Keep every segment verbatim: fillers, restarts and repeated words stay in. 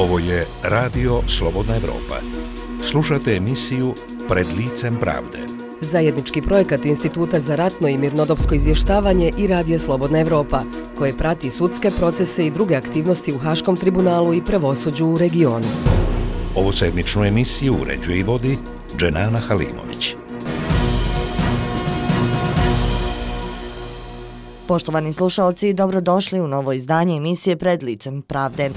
Ovo je Radio Slobodna Evropa. Slušate emisiju Pred licem pravde. Zajednički projekat Instituta za ratno i mirnodopsko izvještavanje i Radio Slobodna Evropa, koje prati sudske procese i druge aktivnosti u Haškom tribunalu i pravosuđu u regionu. Ovu sedmičnu emisiju uređuje i vodi Dženana Halimović. Poštovani slušalci, dobrodošli u novo izdanje emisije Pred licem pravde.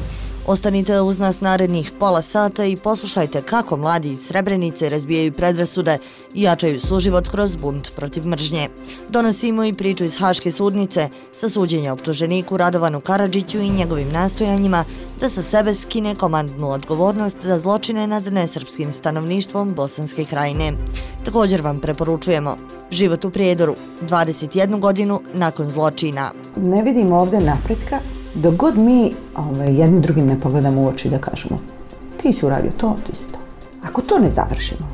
Ostanite uz nas narednih pola sata i poslušajte kako mladi iz Srebrenice razbijaju predrasude i jačaju suživot kroz bunt protiv mržnje. Donosimo i priču iz Haške sudnice sa suđenja optuženiku Radovanu Karadžiću i njegovim nastojanjima da sa sebe skine komandnu odgovornost za zločine nad nesrpskim stanovništvom Bosanske krajine. Također vam preporučujemo Život u Prijedoru, dvadeset jednu godinu nakon zločina. Ne vidimo ovdje napretka dok god mi ovaj, jedni drugim ne pogledamo u oči da kažemo ti si uradio to, ti si to. Ako to ne završimo,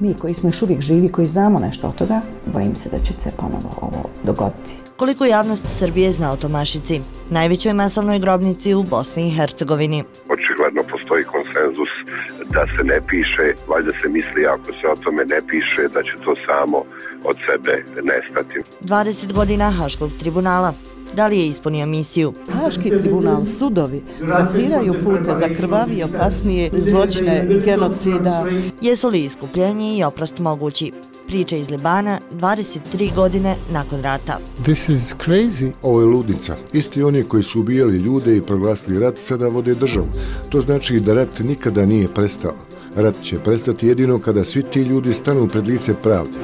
mi koji smo još uvijek živi, koji znamo nešto od toga, bojim se da će se ponovo ovo dogoditi. Koliko javnost Srbije zna o Tomašici, najvećoj masovnoj grobnici u Bosni i Hercegovini? Očigledno postoji konsenzus da se ne piše, valjda se misli ako se o tome ne piše da će to samo od sebe nestati. dvadeset godina Haškog tribunala. Da li je ispunio misiju? Haški tribunal, sudovi, trasiraju pute za krvavi i opasnije zločine genocida. Jesu li iskupljenje i oprost mogući? Priča iz Libana, dvadeset tri godine nakon rata. This is crazy. Ovo je ludnica. Isti oni koji su ubijali ljude i proglasili rat sada vode državu. To znači da rat nikada nije prestao. Rat će prestati jedino kada svi ti ljudi stanu pred lice pravde.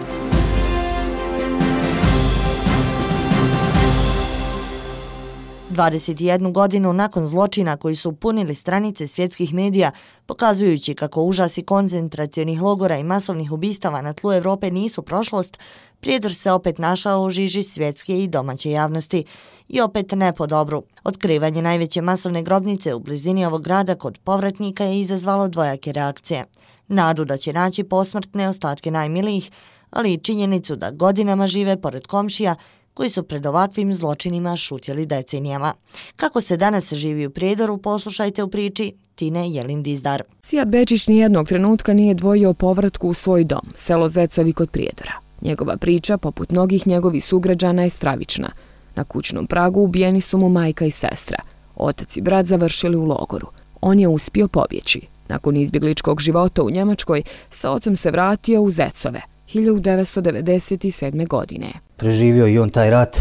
dvadeset jednu godinu nakon zločina koji su punili stranice svjetskih medija, pokazujući kako užasi koncentracionih logora i masovnih ubistava na tlu Evrope nisu prošlost, Prijedor se opet našao u žiži svjetske i domaće javnosti. I opet ne po dobru. Otkrivanje najveće masovne grobnice u blizini ovog grada kod povratnika je izazvalo dvojake reakcije. Nadu da će naći posmrtne ostatke najmilijih, ali i činjenicu da godinama žive pored komšija koji su pred ovakvim zločinima šutjeli decenijama. Kako se danas živi u Prijedoru, poslušajte u priči Tine Jelin-Dizdar. Sijat Bečić nijednog trenutka nije dvojio o povratku u svoj dom, selo Zecovi kod Prijedora. Njegova priča, poput mnogih njegovih sugrađana, je stravična. Na kućnom pragu ubijeni su mu majka i sestra. Otac i brat završili u logoru. On je uspio pobjeći. Nakon izbjegličkog života u Njemačkoj, sa ocem se vratio u Zecove hiljadu devetsto devedeset sedme. godine. Preživio i on taj rat.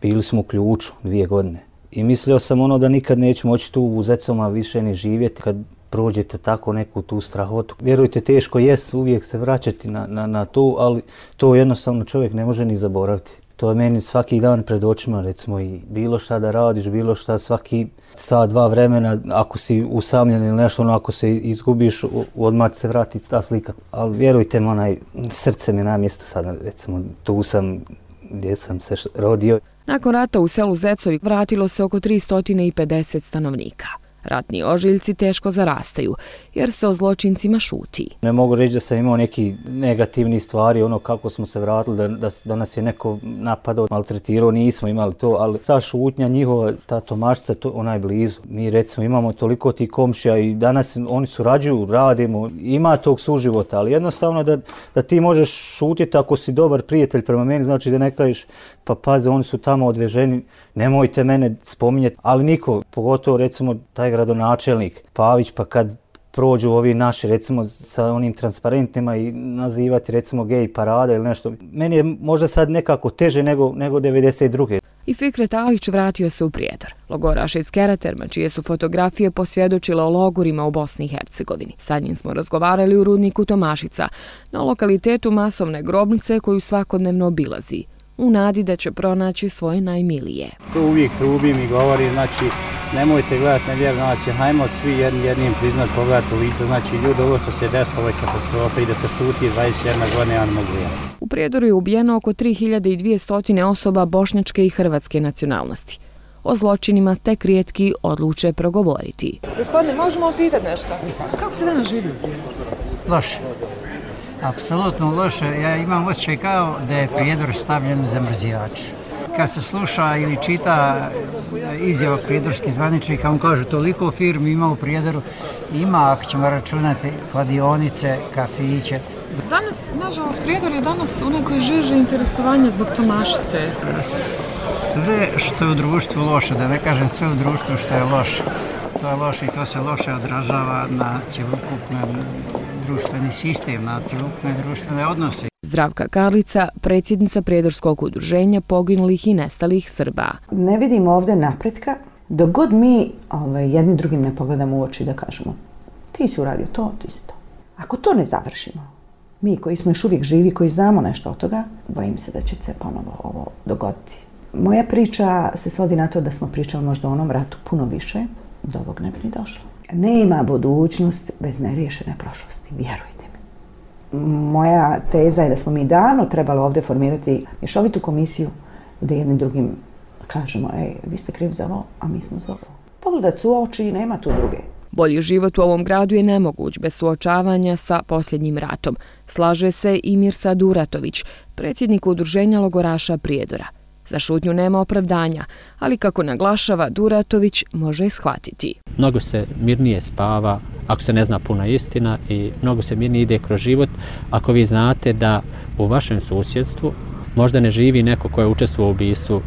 Bili smo u ključu dvije godine. I mislio sam ono da nikad neću moći tu u Zecoma više ni živjeti kad prođete tako neku tu strahotu. Vjerujte, teško jest uvijek se vraćati na, na, na to, ali to jednostavno čovjek ne može ni zaboraviti. To je meni svaki dan pred očima, recimo, i bilo šta da radiš, bilo šta svaki sat, dva vremena, ako si usamljen ili nešto, ono, ako se izgubiš, odmah se vrati ta slika. Ali vjerujte mi, onaj, srce mi na mjestu sada, recimo, tu sam gdje sam se rodio. Nakon rata u selu Zecovi vratilo se oko tristo pedeset stanovnika. Ratni ožiljci teško zarastaju, jer se o zločincima šuti. Ne mogu reći da sam imao neki negativni stvari, ono kako smo se vratili, da, da, da nas je neko napadao, maltretirao, nismo imali to, ali ta šutnja njihova, ta Tomašica, to onaj blizu. Mi recimo imamo toliko tih komšija i danas oni surađuju, radimo, ima tog suživota, ali jednostavno da, da ti možeš šutiti ako si dobar prijatelj prema meni, znači da ne kažeš pa pazi, oni su tamo odveženi, nemojte mene spominjati, ali niko, pogotovo recimo taj gradonačelnik Pavić, pa kad prođu ovi naši recimo sa onim transparentima i nazivati recimo gej parada ili nešto, meni je možda sad nekako teže nego, nego devedeset druge. I Fikret Alić vratio se u Prijedor. Logoraš iz Keraterma, čije su fotografije posvjedočile o logorima u Bosni i Hercegovini. Sad njim smo razgovarali u rudniku Tomašica, na lokalitetu masovne grobnice koju svakodnevno obilazi, u nadi da će pronaći svoje najmilije. To uvijek trubim i govorim, znači nemojte gledati nevjerno, znači hajmo svi jednim, jednim priznat pogledati u lice, znači ljudi, ovo što se desilo, ovo je katastrofa i da se šuti dvadeset jedna godina, ja ne mogu ja. U Prijedoru je ubijeno oko tri hiljade dvjesto osoba bošnjačke i hrvatske nacionalnosti. O zločinima tek rijetki odluče progovoriti. Gospodine, možemo li pitati nešto? Kako se danas živi? Loše. Apsolutno loše. Ja imam osjećaj kao da je Prijedor stavljen za mrzijač. kad se sluša ili čita izjava prijedorskih zvaničnika, on kaže toliko firmi ima u Prijedoru, ima, ako ćemo računati, kladionice, kafiće. Danas, nažalost, Prijedor je danas onaj koji žiže interesovanje zbog Tomašice. Sve što je u društvu loše, da ne kažem sve u društvu što je loše, to je loše i to se loše odražava na cjelokupni društveni sistem, na cjelokupne društvene odnose. Zdravka Karlica, predsjednica Prijedorskog udruženja poginulih i nestalih Srba. Ne vidimo ovdje napretka dok god mi ovaj, jedni drugim ne pogledamo u oči da kažemo ti si uradio to, ti si to. Ako to ne završimo, mi koji smo još uvijek živi, koji znamo nešto od toga, bojim se da će se ponovo ovo dogoditi. Moja priča se svodi na to da smo pričali možda o onom ratu puno više, do ovog ne bi ni došlo. Nema budućnost bez neriješene prošlosti, vjerujte mi. Moja teza je da smo mi davno trebali ovdje formirati mješovitu komisiju gdje jednim drugim kažemo, ej, vi ste krivi za ovo, a mi smo za ovo. Pogledat su u oči i nema tu druge. Bolji život u ovom gradu je nemoguć bez suočavanja sa posljednjim ratom. Slaže se i Mirsa Duratović, predsjednik udruženja logoraša Prijedora. Za šutnju nema opravdanja, ali kako naglašava Duratović, može je shvatiti. Mnogo se mirnije spava ako se ne zna puna istina i mnogo se mirnije ide kroz život ako vi znate da u vašem susjedstvu možda ne živi neko ko je učestvovao u ubistvu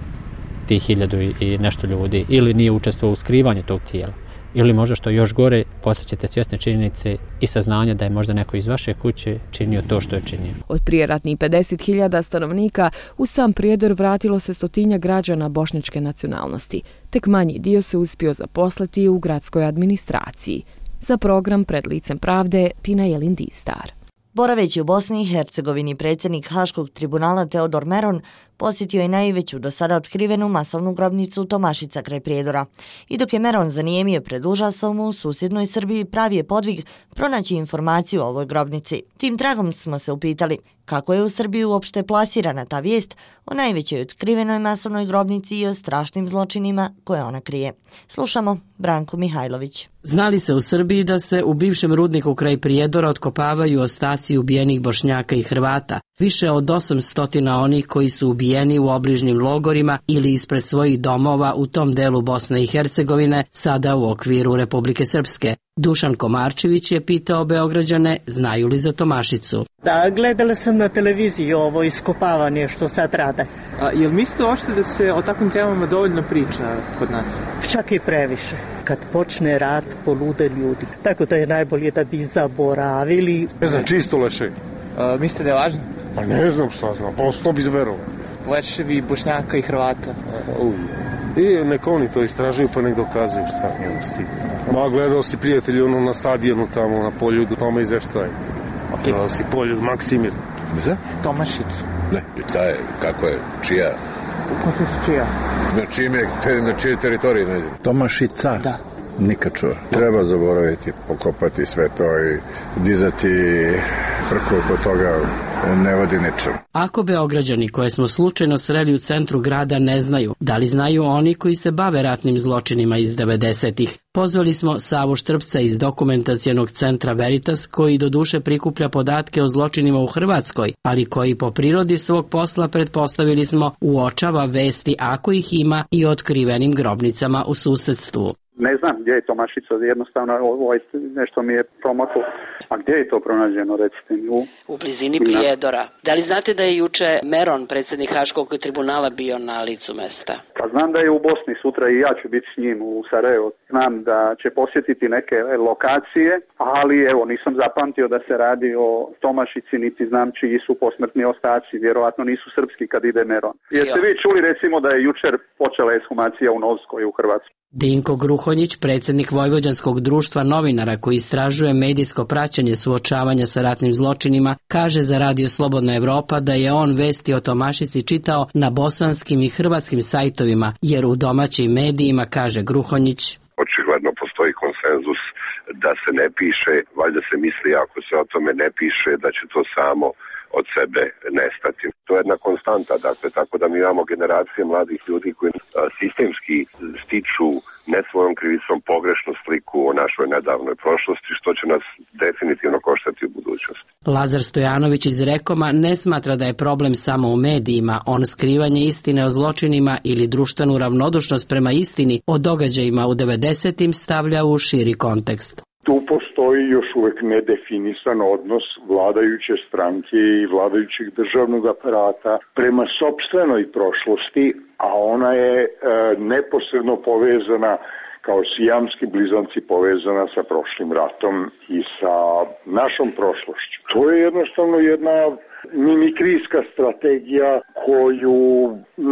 tih hiljadu i nešto ljudi ili nije učestvovao u skrivanju tog tijela. Ili možda što još gore, postaćete svjesne činjenice i saznanja da je možda neko iz vaše kuće činio to što je činio. Od prijeratnih pedeset hiljada stanovnika u sam Prijedor vratilo se stotinja građana bošnjačke nacionalnosti. Tek manji dio se uspio zaposliti u gradskoj administraciji. Za program Pred licem pravde Tina Jelin Distar. Boraveći u Bosni i Hercegovini, predsjednik Haškog tribunala Teodor Meron posjetio je najveću do sada otkrivenu masovnu grobnicu Tomašica kraj Prijedora. I dok je Meron zanijemio pred užasom, u susjednoj Srbiji pravi je podvig pronaći informaciju o ovoj grobnici. Tim tragom smo se upitali kako je u Srbiji uopšte plasirana ta vijest o najvećoj otkrivenoj masovnoj grobnici i o strašnim zločinima koje ona krije. Slušamo Branku Mihajlović. Znali se u Srbiji da se u bivšem rudniku kraj Prijedora otkopavaju ostaci ubijenih Bošnjaka i Hrvata. Više od osamsto onih koji su ubijeni u obližnjim logorima ili ispred svojih domova u tom delu Bosne i Hercegovine, sada u okviru Republike Srpske. Dušan Komarčević je pitao Beograđane znaju li za Tomašicu. Da, gledala sam na televiziji ovo iskopavanje što sad rade. A, jel mislite ošte da se o takvim temama dovoljno priča kod nas? Čak i previše. Kad počne rat, polude ljudi. Tako da je najbolje da bi zaboravili. Ne znam, čisto leševi. A, mislite da je važno? Pa ne znam šta znam, pa sto bi zverovao. Leševi Bošnjaka i Hrvata. Uh. I nek oni to istražuju pa nek dokazuju šta njemu stigne. Ma gledao si prijatelji ono na stadionu tamo na Poljudu, tamo izveštaj. A gledao si Poljud Maksimir. Za? Tomašicu. Ne, i ta je, kako je, čija? Kako je čija? Na čime, te, na čije teritorije ne ide? Tomašica? Da. Nikad čuo. Treba zaboraviti, pokopati sve to i dizati frku oko toga ne vodi ničem. Ako Beograđani koje smo slučajno sreli u centru grada ne znaju, da li znaju oni koji se bave ratnim zločinima iz devedesetih? Pozvali smo Savu Štrpca iz dokumentacionog centra Veritas, koji doduše prikuplja podatke o zločinima u Hrvatskoj, ali koji po prirodi svog posla, pretpostavili smo, uočava vesti ako ih ima i o otkrivenim grobnicama u susedstvu. Ne znam gdje je Tomašica, jednostavno ovo nešto mi je promaklo. A gdje je to pronađeno, recite mi? U, u blizini Prijedora. Da li znate da je juče Meron, predsjednik Haškog tribunala, bio na licu mesta? Pa znam da je u Bosni sutra i ja ću biti s njim u Sarajevo. Znam da će posjetiti neke lokacije, ali evo nisam zapamtio da se radi o Tomašici, niti znam čiji su posmrtni ostaci. Vjerovatno nisu srpski kad ide Meron. Jeste vi čuli recimo da je jučer počela ekshumacija u Novskoj u Hrvatskoj? Dinko Gruhonjić, predsjednik Vojvođanskog društva novinara koji istražuje medijsko praćenje suočavanja sa ratnim zločinima, kaže za Radio Slobodna Evropa da je on vesti o Tomašici čitao na bosanskim i hrvatskim sajtovima, jer u domaćim medijima, kaže Gruhonjić, očigledno postoji konsenzus da se ne piše, valjda se misli ako se o tome ne piše da će to samo od sebe nestati. To je jedna konstanta, dakle, tako da mi imamo generacije mladih ljudi koji sistemski stiču ne svojom krivicom pogrešnu sliku o našoj nedavnoj prošlosti, što će nas definitivno koštati u budućnosti. Lazar Stojanović iz Rekoma ne smatra da je problem samo u medijima, on skrivanje istine o zločinima ili društvenu ravnodušnost prema istini o događajima u devedesetim stavlja u širi kontekst. Tu postoji još uvek nedefinisan odnos vladajuće stranke i vladajućeg državnog aparata prema sopstvenoj prošlosti, a ona je e, neposredno povezana kao sijamski blizanci povezana sa prošlim ratom i sa našom prošlošću. To je jednostavno jedna mimikrijska strategija koju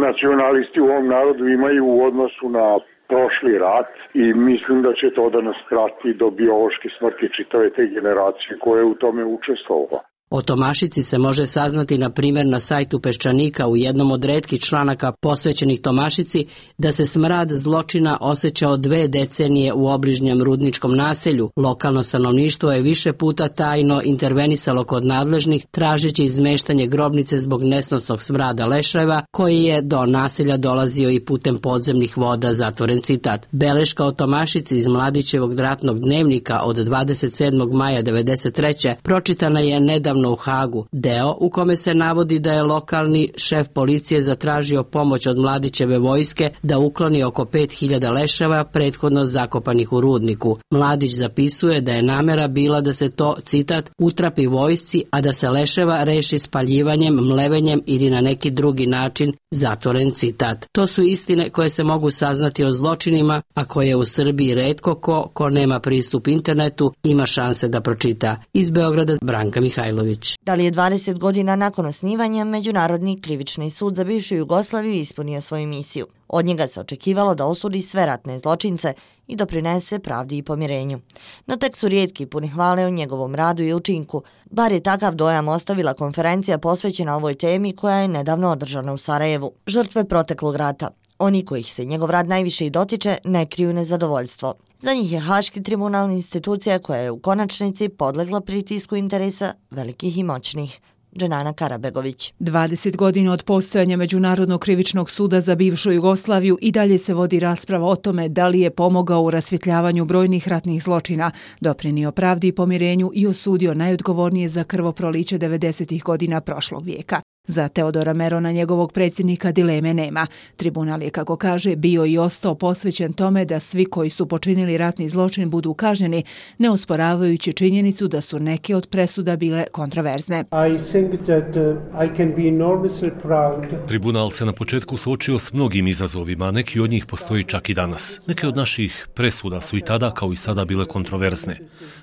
nacionalisti u ovom narodu imaju u odnosu na prošli rat i mislim da će to da nas krati do biološke smrti čitave te generacije koja je u tome učestvovala. O Tomašici se može saznati na primjer na sajtu Peščanika u jednom od retkih članaka posvećenih Tomašici da se smrad zločina osjećao dve decenije u obližnjem rudničkom naselju. Lokalno stanovništvo je više puta tajno intervenisalo kod nadležnih tražeći izmeštanje grobnice zbog nesnosnog smrada leševa koji je do naselja dolazio i putem podzemnih voda, zatvoren citat. Beleška o Tomašici iz Mladićevog ratnog dnevnika od dvadeset sedmog maja devedeset treće pročitana je nedavno u Hagu, deo u kome se navodi da je lokalni šef policije zatražio pomoć od Mladićeve vojske da ukloni oko pet hiljada leševa prethodno zakopanih u rudniku. Mladić zapisuje da je namera bila da se to, citat, utrapi vojsci, a da se leševa reši spaljivanjem, mlevenjem ili na neki drugi način, zatvoren citat. To su istine koje se mogu saznati o zločinima, a koje u Srbiji retko ko, ko nema pristup internetu, ima šanse da pročita. Iz Beograda, Branka Mihajlović. Da li je dvadeset godina nakon osnivanja Međunarodni krivični sud za bivšu Jugoslaviju ispunio svoju misiju? Od njega se očekivalo da osudi sve ratne zločince i doprinese pravdi i pomirenju. No tek su rijetki puni hvale o njegovom radu i učinku. Bar je takav dojam ostavila konferencija posvećena ovoj temi koja je nedavno održana u Sarajevu. Žrtve proteklog rata. Oni kojih se njegov rad najviše i dotiče ne kriju nezadovoljstvo. Za njih je Haški tribunal institucija koja je u konačnici podlegla pritisku interesa velikih i moćnih. Dženana Karabegović. dvadeset godina od postojanja Međunarodnog krivičnog suda za bivšu Jugoslaviju i dalje se vodi rasprava o tome da li je pomogao u rasvjetljavanju brojnih ratnih zločina, doprinio pravdi i pomirenju i osudio najodgovornije za krvoproliće devedesetih godina prošlog vijeka. Za Teodora Merona, njegovog predsjednika, dileme nema. Tribunal je, kako kaže, bio i ostao posvećen tome da svi koji su počinili ratni zločin budu kažnjeni, ne osporavajući činjenicu da su neke od presuda bile kontroverzne. Tribunal se na početku suočio s mnogim izazovima, neki od njih postoji čak i danas. Neke od naših presuda su i tada kao i sada bile kontroverzne.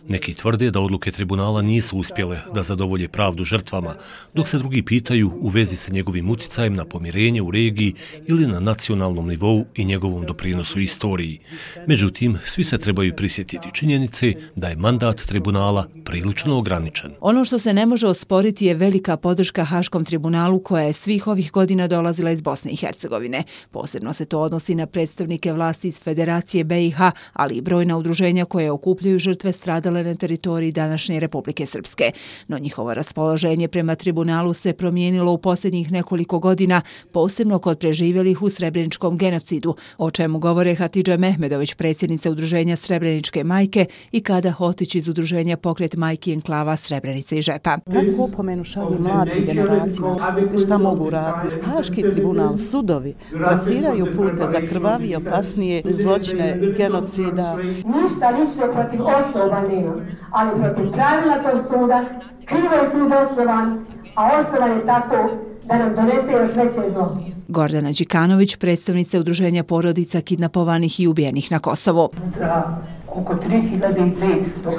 Neki tvrde da odluke tribunala nisu uspjele da zadovolje pravdu žrtvama, dok se drugi pitaju u vezi sa njegovim uticajem na pomirenje u regiji ili na nacionalnom nivou i njegovom doprinosu istoriji. Međutim, svi se trebaju prisjetiti činjenice da je mandat tribunala prilično ograničen. Ono što se ne može osporiti je velika podrška Haškom tribunalu koja je svih ovih godina dolazila iz Bosne i Hercegovine. Posebno se to odnosi na predstavnike vlasti iz Federacije B i H, ali i brojna udruženja koje okupljaju žrtve stradale na teritoriji današnje Republike Srpske. No njihovo raspoloženje prema tribunalu se promijenilo u posljednjih nekoliko godina, posebno kod preživjelih u Srebreničkom genocidu, o čemu govore Hatidža Mehmedović, predsjednica udruženja Srebreničke majke, i Kada Hotić iz udruženja Pokret majki enklava Srebrenice i Žepa. Kako opomenu šalje mladim generacijama? Šta mogu raditi? Haški tribunal, sudovi plasiraju pute za krvavije, opasnije zločine genocida. Ništa lično protiv osoba nemam, ali protiv pravila tog suda, krivo je sud osnovan, a osnovan je tako da nam donese još veće zlo. Gordana Đikanović, predstavnica udruženja porodica kidnapovanih i ubijenih na Kosovu. Za oko tri hiljade petsto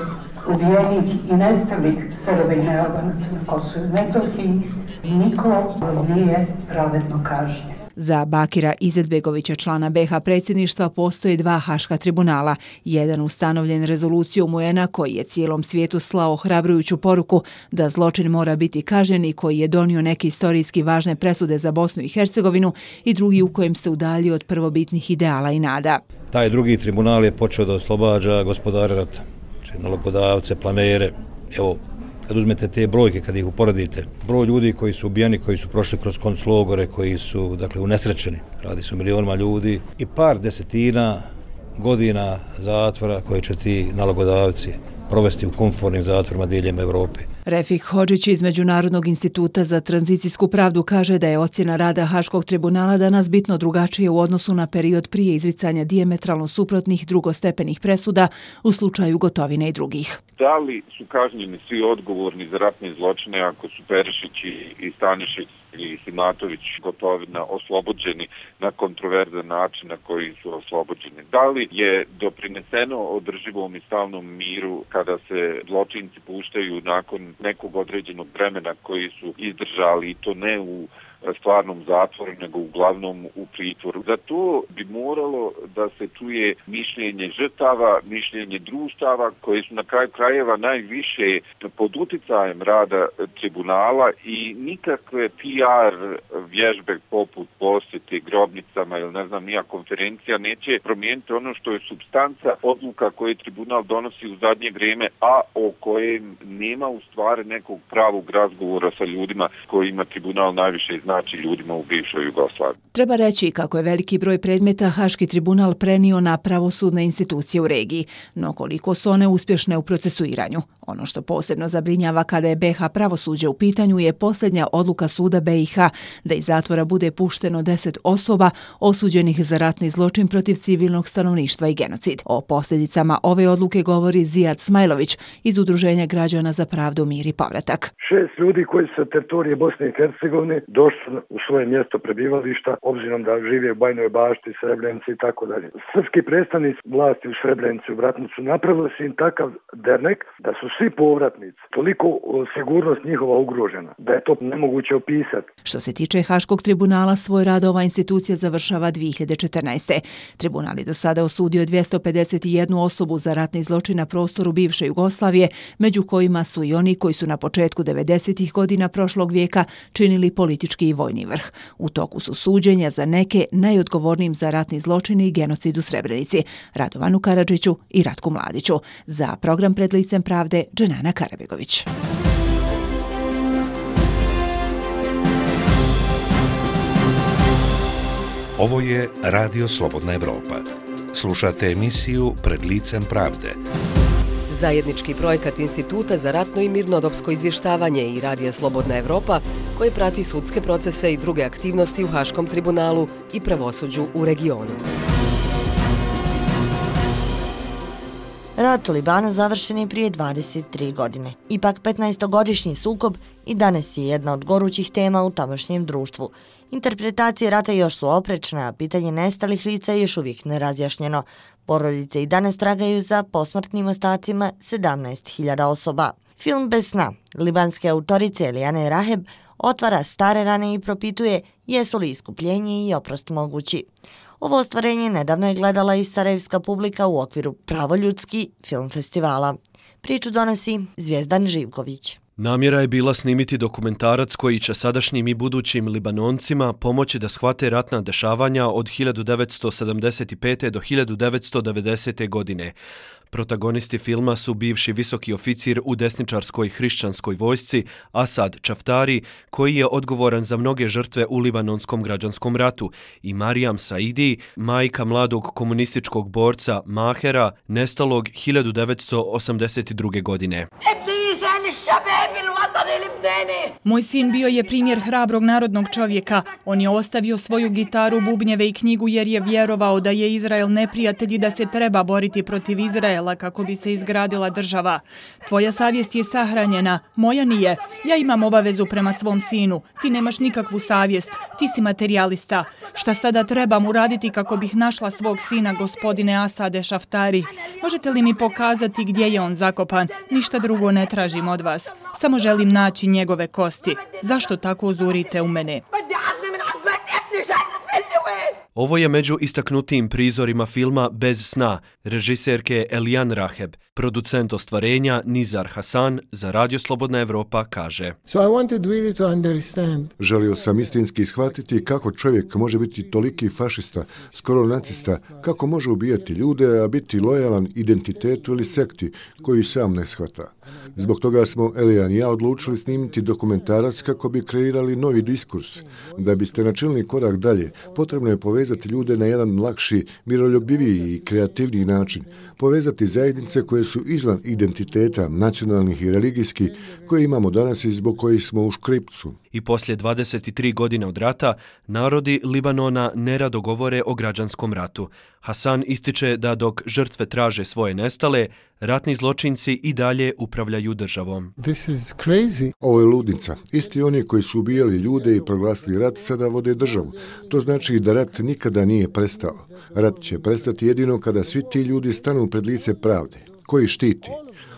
ubijenih i nestalih Srba i nealbanaca na Kosovu i Metohiji niko nije pravedno kažnjen. Za Bakira Izetbegovića, člana B H predsjedništva, postoje dva haška tribunala. Jedan ustanovljen rezolucijom U N-a koji je cijelom svijetu slao hrabrujuću poruku da zločin mora biti kažnjen i koji je donio neke istorijski važne presude za Bosnu i Hercegovinu, i drugi u kojem se udaljio od prvobitnih ideala i nada. Taj drugi tribunal je počeo da oslobađa gospodare rata, znači nalogodavce, planere. Evo, kad uzmete te brojke, kad ih uporedite, broj ljudi koji su ubijeni, koji su prošli kroz konclogore, koji su, dakle, unesrećeni, radi se o milionima ljudi, i par desetina godina zatvora koje će ti nalogodavci provesti u komfortnim zatvorima diljem Evrope. Refik Hodžić iz Međunarodnog instituta za tranzicijsku pravdu kaže da je ocjena rada Haškog tribunala danas bitno drugačije u odnosu na period prije izricanja dijametralno suprotnih drugostepenih presuda u slučaju Gotovine i drugih. Da li su kažnjeni svi odgovorni za ratne zločine ako su Perišić i Stanišić i Simatović, Gotovina oslobođeni na kontroverzan način na koji su oslobođeni? Da li je doprineseno održivom i stalnom miru kada se zločinci puštaju nakon nekog određenog vremena koji su izdržali, i to ne u stvarnom zatvoru, nego uglavnom u pritvoru? Za to bi moralo da se čuje mišljenje žrtava, mišljenje društava koje su na kraju krajeva najviše pod uticajem rada tribunala, i nikakve P R vježbe poput posjete grobnicama ili ne znam nija konferencija neće promijeniti ono što je supstanca odluka koje tribunal donosi u zadnje vrijeme, a o kojem nema u stvari nekog pravog razgovora sa ljudima kojima tribunal najviše zna, znači ljudima u bivšoj Jugoslaviji. Treba reći kako je veliki broj predmeta Haški tribunal prenio na pravosudne institucije u regiji, no koliko su one uspješne u procesuiranju. Ono što posebno zabrinjava kada je B iH pravosuđe u pitanju je posljednja odluka suda B iH da iz zatvora bude pušteno deset osoba osuđenih za ratni zločin protiv civilnog stanovništva i genocid. O posljedicama ove odluke govori Zijad Smajlović iz Udruženja građana za pravdu, mir i povratak. Šest ljudi koji su sa teritorije Bosne i Hercegovine došli u svoje mjesto prebivališta, obzirom da žive u Bajnoj Bašti, Srebrenici i tako dalje. Srpski predstavnici vlasti u Srebrenici, u Bratnicu, napravili su im takav dernek da su svi povratnici, toliko sigurnost njihova ugrožena, da je to nemoguće opisati. Što se tiče Haškog tribunala, svoj rad ova institucija završava dvije hiljade četrnaeste. Tribunal je do sada osudio dvjesto pedeset jednu osobu za ratni zločin na prostoru bivše Jugoslavije, među kojima su i oni koji su na početku devedesetih godina prošlog vijeka činili politički i vojni vrh. U toku su suđenja za neke najodgovornijim za ratni zločin i genocid u Srebrenici, Radovanu Karadžiću i Ratku Mladiću. Za program Pred licem pravde, Dženana Karabegović. Ovo je Radio Slobodna Evropa. Slušate emisiju Pred licem pravde. Zajednički projekat Instituta za ratno i mirnodopsko izvještavanje i Radija Slobodna Evropa, koji prati sudske procese i druge aktivnosti u Haškom tribunalu i pravosuđu u regionu. Rat u Libanu završen je prije dvadeset tri godine. Ipak petnaestogodišnji sukob i danas je jedna od gorućih tema u tamošnjem društvu. Interpretacije rata još su oprečne, a pitanje nestalih lica je još uvijek nerazjašnjeno. Porodice i danas tragaju za posmrtnim ostacima sedamnaest hiljada osoba. Film Bez sna, libanske autorice Elijane Raheb, otvara stare rane i propituje jesu li iskupljenje i oprost mogući. Ovo ostvarenje nedavno je gledala i sarajevska publika u okviru Pravoljudski film festivala. Priču donosi Zvijezdan Živković. Namjera je bila snimiti dokumentarac koji će sadašnjim i budućim Libanoncima pomoći da shvate ratna dešavanja od hiljadu devetsto sedamdeset pete. do hiljadu devetsto devedesete. godine. Protagonisti filma su bivši visoki oficir u desničarskoj hrišćanskoj vojsci Asad Čaftari, koji je odgovoran za mnoge žrtve u libanonskom građanskom ratu, i Marijam Saidi, majka mladog komunističkog borca Mahera, nestalog hiljadu devetsto osamdeset druge. godine. Moj sin bio je primjer hrabrog narodnog čovjeka. On je ostavio svoju gitaru, bubnjeve i knjigu jer je vjerovao da je Izrael neprijatelj i da se treba boriti protiv Izraela kako bi se izgradila država. Tvoja savjest je sahranjena, moja nije. Ja imam obavezu prema svom sinu. Ti nemaš nikakvu savjest. Ti si materijalista. Šta sada trebam uraditi kako bih našla svog sina, gospodine Asade Šaftari? Možete li mi pokazati gdje je on zakopan? Ništa drugo ne tražim od vas. Samo želim naći njegove kosti. Zašto tako zurite u mene? Ovo je među istaknutijim prizorima filma Bez sna, režiserke Elijan Raheb. Producent ostvarenja Nizar Hasan za Radio Slobodna Evropa kaže: So I wanted really to understand. Želio sam istinski shvatiti kako čovjek može biti toliki fašista, skoro nacista, kako može ubijati ljude, a biti lojalan identitetu ili sekti koju sam ne shvata. Zbog toga smo Elijan i ja odlučili snimiti dokumentarac kako bi kreirali novi diskurs. Da biste načinili korak dalje, potrebno je povezati ljude na jedan lakši, miroljubiviji i kreativniji način. Povezati zajednice koje su izvan identiteta nacionalnih i religijskih koje imamo danas i zbog kojih smo u škripcu. I poslije dvadeset tri godine od rata, narodi Libanona nerado govore o građanskom ratu. Hasan ističe da dok žrtve traže svoje nestale, ratni zločinci i dalje upravljaju državom. This is crazy. Ovo je ludnica. Isti oni koji su ubijali ljude i proglasili rat sada vode državu. To znači da rat nikada nije prestao. Rat će prestati jedino kada svi ti ljudi stanu pred lice pravde. Koji štiti?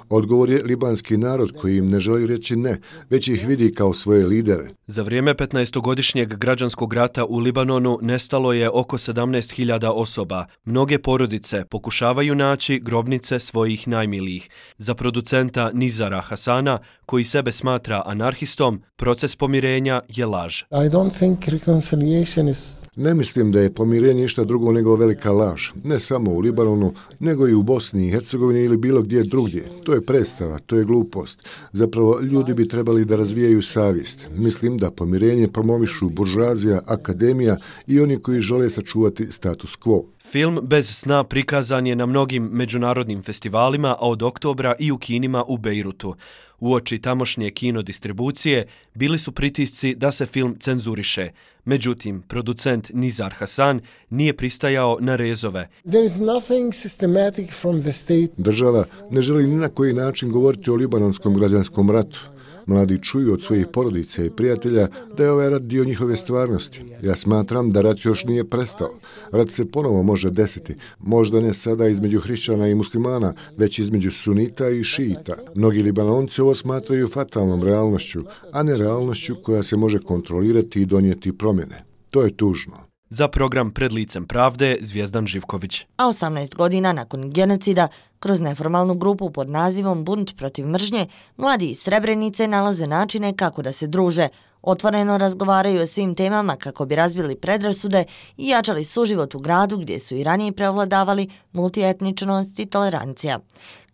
Odgovor je libanski narod koji im ne želi reći ne, već ih vidi kao svoje lidere. Za vrijeme petnaestogodišnjeg građanskog rata u Libanonu nestalo je oko sedamnaest hiljada osoba. Mnoge porodice pokušavaju naći grobnice svojih najmilijih. Za producenta Nizara Hasana, koji sebe smatra anarhistom, proces pomirenja je laž. I don't think reconciliation is... Ne mislim da je pomirenje ništa drugo nego velika laž. Ne samo u Libanonu, nego i u Bosni i Hercegovini ili bilo gdje drugdje. To je predstava, to je glupost. Zapravo, ljudi bi trebali da razvijaju savjest. Mislim da pomirenje promovišu buržoazija, akademija i oni koji žele sačuvati status quo. Film Bez sna prikazan je na mnogim međunarodnim festivalima, a od oktobra i u kinima u Bejrutu. Uoči tamošnje kino distribucije bili su pritisci da se film cenzuriše. Međutim, producent Nizar Hasan nije pristajao na rezove. There is nothing systematic from the state. Država ne želi ni na koji način govoriti o libanonskom građanskom ratu. Mladi čuju od svojih porodica i prijatelja da je ovaj rat dio njihove stvarnosti. Ja smatram da rat još nije prestao. Rat se ponovo može desiti. Možda ne sada između hrišćana i muslimana, već između sunita i šiita. Mnogi Libanonci ovo smatraju fatalnom realnošću, a ne realnošću koja se može kontrolirati i donijeti promjene. To je tužno. Za program Pred licem pravde Zvijezdan Živković. A osamnaest godina nakon genocida, kroz neformalnu grupu pod nazivom Bunt protiv mržnje, mladi iz Srebrenice nalaze načine kako da se druže, otvoreno razgovaraju o svim temama kako bi razbili predrasude i jačali suživot u gradu gdje su i ranije prevladavali multietničnost i tolerancija.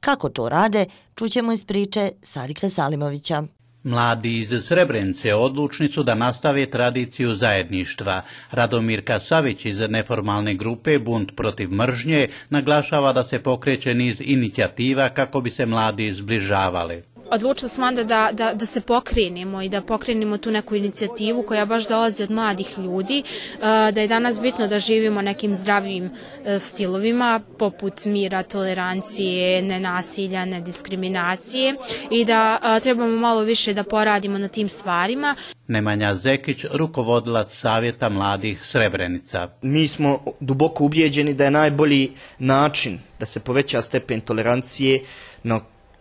Kako to rade, čućemo iz priče Sadika Salimovića. Mladi iz Srebrenice odlučni su da nastave tradiciju zajedništva. Radomir Kasavić iz neformalne grupe Bunt protiv mržnje naglašava da se pokreće niz inicijativa kako bi se mladi zbližavali. Odlučili smo onda da, da, da se pokrenemo i da pokrenemo tu neku inicijativu koja baš dolazi od mladih ljudi, da je danas bitno da živimo nekim zdravim stilovima poput mira, tolerancije, nenasilja, nediskriminacije i da trebamo malo više da poradimo na tim stvarima. Nemanja Zekić, rukovodilac Savjeta mladih Srebrenica. Mi smo duboko ubijeđeni da je najbolji način da se poveća stepen tolerancije na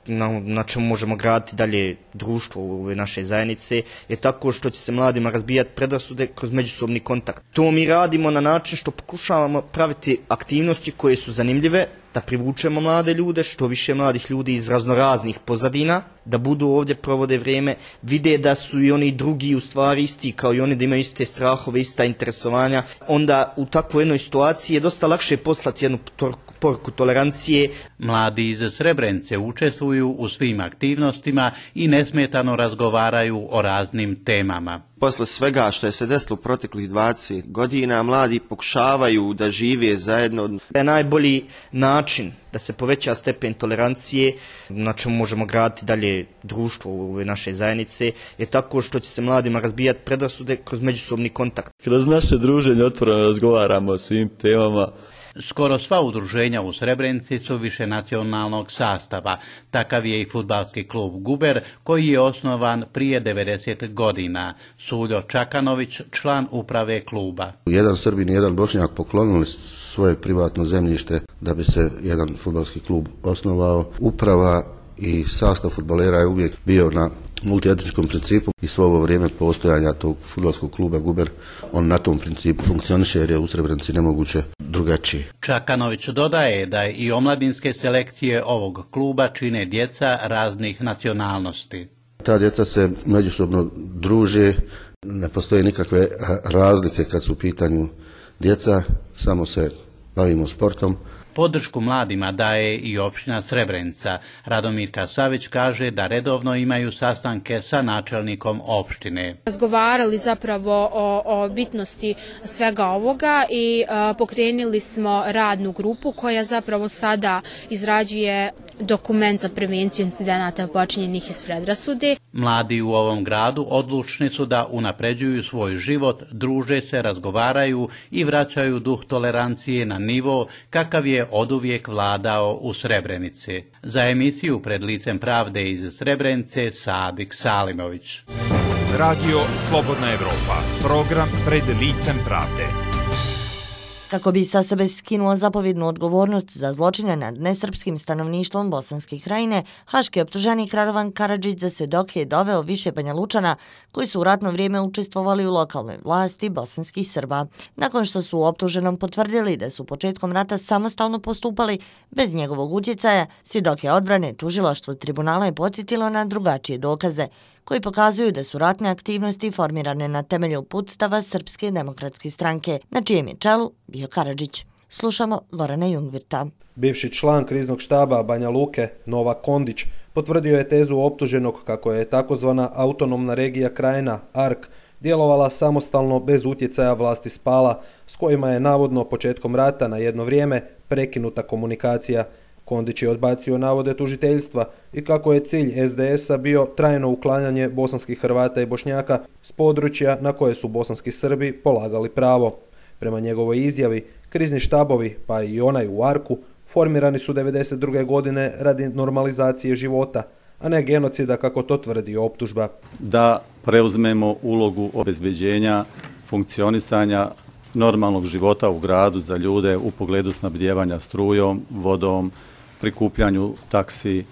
Na, na čemu možemo graditi dalje društvo u ove naše zajednice, je tako što će se mladima razbijati predrasude kroz međusobni kontakt. To mi radimo na način što pokušavamo praviti aktivnosti koje su zanimljive, da privučemo mlade ljude, što više mladih ljudi iz raznoraznih pozadina, da budu ovdje, provode vrijeme, vide da su i oni drugi u stvari isti, kao i oni, da imaju iste strahove, ista interesovanja. Onda u takvoj jednoj situaciji je dosta lakše poslati jednu poruku tolerancije. Mladi iz Srebrenice učestvuju u svim aktivnostima i nesmetano razgovaraju o raznim temama. Posle svega što je se desilo u proteklih dvadeset godina, mladi pokušavaju da žive zajedno. Je najbolji način da se poveća stepen tolerancije, na čemu možemo graditi dalje društvo u ove naše zajednice, je tako što će se mladima razbijati predrasude kroz međusobni kontakt. Kroz naše druženje otvoreno razgovaramo o svim temama. Skoro sva udruženja u Srebrenici su više nacionalnog sastava. Takav je i fudbalski klub Guber, koji je osnovan prije devedeset godina. Suljo Čakanović, član uprave kluba. Jedan Srbin i jedan Bošnjak poklonili svoje privatno zemljište da bi se jedan fudbalski klub osnovao. Uprava i sastav fudbalera je uvijek bio na multietničkom principu i svo ovo vrijeme postojanja tog fudbalskog kluba Guber, on na tom principu funkcioniše jer je u Srebrenici nemoguće drugačije. Čakanović dodaje da i omladinske selekcije ovog kluba čine djeca raznih nacionalnosti. Ta djeca se međusobno druže, ne postoje nikakve razlike kad su u pitanju djeca, samo se bavimo sportom. Podršku mladima daje i opština Srebrenica. Radomirka Savić kaže da redovno imaju sastanke sa načelnikom opštine. Razgovarali zapravo o, o bitnosti svega ovoga i a, pokrenuli smo radnu grupu koja zapravo sada izrađuje dokument za prevenciju incidenata počinjenih iz predrasude. Mladi u ovom gradu odlučni su da unapređuju svoj život, druže se, razgovaraju i vraćaju duh tolerancije na nivo kakav je oduvijek vladao u Srebrenici. Za emisiju Pred licem pravde iz Srebrenice Sadik Salimović. Radio Slobodna Evropa, program Pred licem pravde. Kako bi sa sebe skinuo zapovjednu odgovornost za zločine nad nesrpskim stanovništvom Bosanske krajine, haški optuženik Radovan Karadžić za svjedoke je doveo više Banja Lučana koji su u ratno vrijeme učestvovali u lokalnoj vlasti bosanskih Srba. Nakon što su u optuženom potvrdili da su početkom rata samostalno postupali bez njegovog utjecaja, svjedoke odbrane tužilaštvo tribunala je podsjetilo na drugačije dokaze koji pokazuju da su ratne aktivnosti formirane na temelju uputstava Srpske demokratske stranke, na čijem je čelu bio Karadžić. Slušamo Gorana Jungvirta. Bivši član kriznog štaba Banja Luke, Novak Kondić, potvrdio je tezu optuženog kako je takozvana autonomna regija Krajina, A R K, djelovala samostalno bez utjecaja vlasti Spala, s kojima je navodno početkom rata na jedno vrijeme prekinuta komunikacija. Kondić je odbacio navode tužiteljstva i kako je cilj S D S-a bio trajno uklanjanje bosanskih Hrvata i Bošnjaka s područja na koje su bosanski Srbi polagali pravo. Prema njegovoj izjavi, krizni štabovi, pa i onaj u A R K-u, formirani su devedeset druge godine radi normalizacije života, a ne genocida kako to tvrdi optužba. Da preuzmemo ulogu obezbeđenja funkcionisanja normalnog života u gradu za ljude u pogledu snabdijevanja strujom, vodom, prikupljanju taksi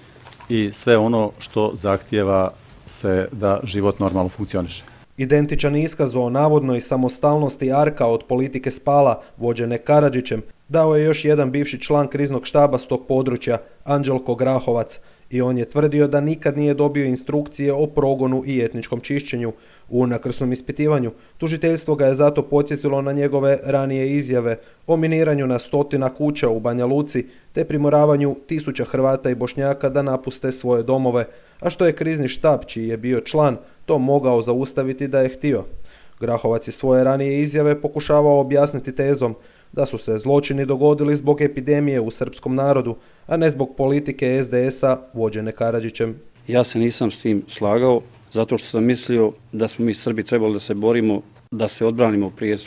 i sve ono što zahtijeva se da život normalno funkcioniše. Identičan iskaz o navodnoj samostalnosti A R K-a od politike Spala, vođene Karadžićem, dao je još jedan bivši član kriznog štaba s tog područja, Anđelko Grahovac, i on je tvrdio da nikad nije dobio instrukcije o progonu i etničkom čišćenju. U nakrsnom ispitivanju tužiteljstvo ga je zato podsjetilo na njegove ranije izjave o miniranju na stotina kuća u Banja Luci te primoravanju tisuća Hrvata i Bošnjaka da napuste svoje domove, a što je krizni štab, čiji je bio član, to mogao zaustaviti da je htio. Grahovac je svoje ranije izjave pokušavao objasniti tezom da su se zločini dogodili zbog epidemije u srpskom narodu, a ne zbog politike S D S-a vođene Karadžićem. Ja se nisam s tim slagao, zato što sam mislio da smo mi Srbi trebali da se borimo, da se odbranimo prije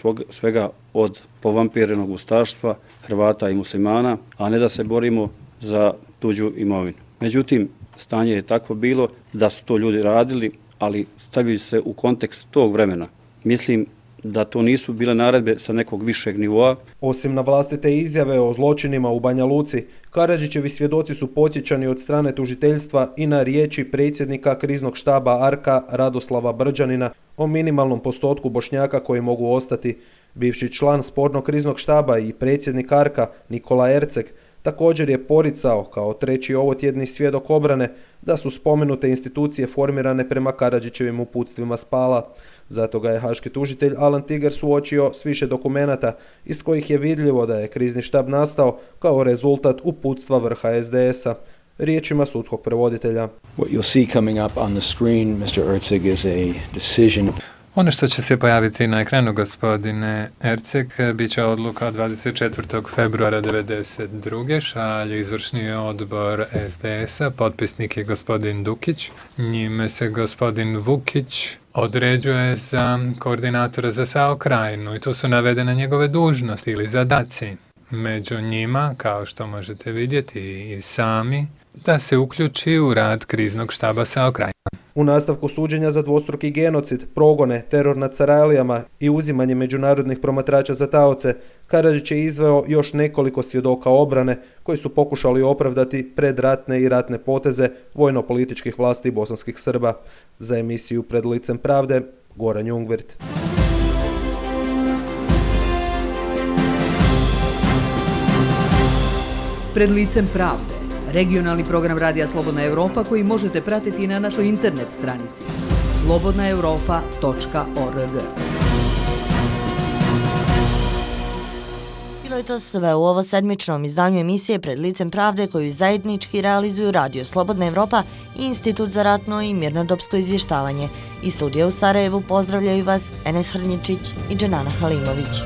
svega od povampirenog ustaštva, Hrvata i muslimana, a ne da se borimo za tuđu imovinu. Međutim, stanje je takvo bilo da su to ljudi radili, ali stavili se u kontekst tog vremena. Mislim da to nisu bile naredbe sa nekog višeg nivoa. Osim na vlastite izjave o zločinima u Banja Luci, Karadžićevi svjedoci su podsjećani od strane tužiteljstva i na riječi predsjednika kriznog štaba A R K-a Radoslava Brđanina o minimalnom postotku Bošnjaka koji mogu ostati. Bivši član spornog kriznog štaba i predsjednik A R K-a Nikola Erceg također je poricao kao treći ovotjedni svjedok obrane da su spomenute institucije formirane prema Karadžićevim uputstvima Spala. Zato ga je haški tužitelj Alan Tiger suočio s više dokumenata iz kojih je vidljivo da je krizni štab nastao kao rezultat uputstva vrha S D S-a. Riječima sudskog prevoditelja. What you'll see coming up on the screen, mister Erceg, is a decision. Ono što će se pojaviti na ekranu, gospodine Erceg, bit će odluka dvadeset četvrtog februara devedeset druge šalje izvršni odbor S D S-a, potpisnik je gospodin Dukić, njime se gospodin Vukić određuje za koordinatora za S A O Krajinu i tu su navedene njegove dužnosti ili zadaci. Među njima, kao što možete vidjeti i sami, da se uključi u rad kriznog štaba S A O Krajina. U nastavku suđenja za dvostruki genocid, progone, teror nad Sarajlijama i uzimanje međunarodnih promatrača za taoce, Karadžić je izveo još nekoliko svjedoka obrane koji su pokušali opravdati predratne i ratne poteze vojno-političkih vlasti bosanskih Srba. Za emisiju Pred licem pravde, Goran Jungvirt. Pred licem pravde, regionalni program Radija Slobodna Evropa koji možete pratiti na našoj internet stranici slobodna europa tačka org. Bilo je to sve u ovo sedmičnom izdanju emisije Pred licem pravde koju zajednički realizuju Radio Slobodna Evropa i Institut za ratno i mirnodopsko izvještavanje. Iz studija u Sarajevu pozdravljaju vas Enes Hrnjičić i Dženana Halimović.